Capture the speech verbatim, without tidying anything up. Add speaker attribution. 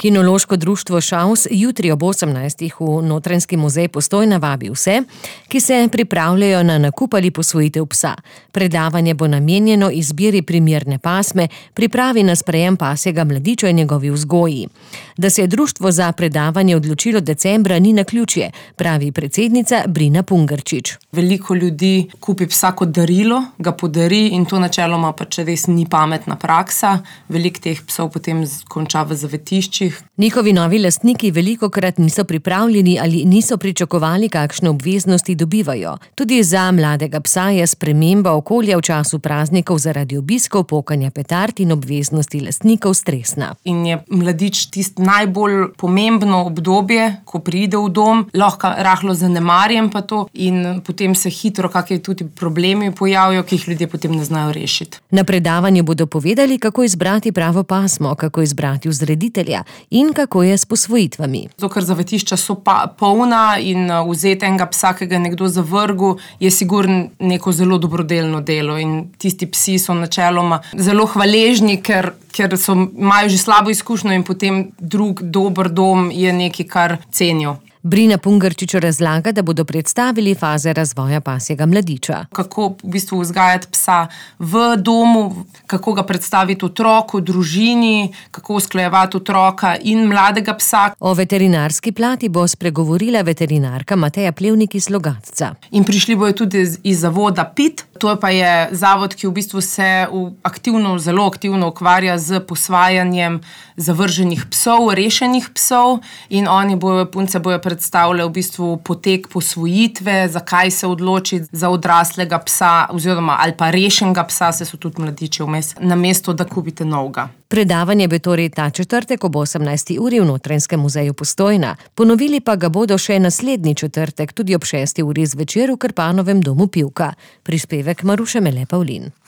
Speaker 1: Kinološko društvo Šavs jutri ob osemnajstih v Notranjski muzej Postojna vabi vse, ki se pripravljajo na nakup ali posvojitev psa. Predavanje bo namenjeno izbiri primerne pasme, pripravi na sprejem pasjega mladiča in njegovi vzgoji. Da se je društvo za predavanje odločilo decembra, ni naključje, pravi predsednica Brina Pungarčič.
Speaker 2: Veliko ljudi kupi psa kot darilo, ga podari in to načeloma pač res ni pametna praksa. Veliko teh psov potem konča v zavetiščih.
Speaker 1: Njihovi novi lastniki velikokrat niso pripravljeni ali niso pričakovali, kakšne obveznosti dobivajo. Tudi za mladega psa je sprememba okolja v času praznikov zaradi obiskov, pokanja petard in obveznosti lastnikov stresna.
Speaker 2: In je mladič tisto najbolj pomembno obdobje, ko pride v dom, lahko rahlo zanemarjen pa to in potem se hitro kakšni tudi problemi pojavijo, ki jih ljudje potem ne znajo rešiti.
Speaker 1: Na predavanju bodo povedali, kako izbrati pravo pasmo, kako izbrati vzreditelja in kako je s posvojitvami.
Speaker 2: Zato, ker zavetišča so pa polna in vzeti enega psa, ki ga je nekdo zavrgel, je sigurno neko zelo dobrodelno delo in tisti psi so načeloma zelo hvaležni, ker, ker so, imajo že slabo izkušnjo in potem drug dober dom je nekaj, kar cenijo.
Speaker 1: Brina Pungarčič razlaga, da bodo predstavili faze razvoja pasjega mladiča.
Speaker 2: Kako v bistvu vzgajati psa v domu, kako ga predstaviti otroku, družini, kako usklajevati otroka in mladega psa.
Speaker 1: O veterinarski plati bo spregovorila veterinarka Mateja Plevnik iz Logatca.
Speaker 2: In prišli bojo tudi iz zavoda P I T, to pa je zavod, ki v bistvu se aktivno, zelo aktivno ukvarja z posvajanjem zavrženih psov, rešenih psov in oni bojo, punce bojo predstavljajo v bistvu potek posvojitve, zakaj se odločiti za odraslega psa oziroma ali pa rešenega psa, se so tudi mladiči vmes, namesto da kupite novega.
Speaker 1: Predavanje bo torej ta četrtek ob osemnajsti uri v Notranjskem muzeju Postojna. Ponovili pa ga bodo še naslednji četrtek, tudi ob šesti uri zvečer v Krpanovem domu Pivka. Prispevek Maruše Mele Pavlin.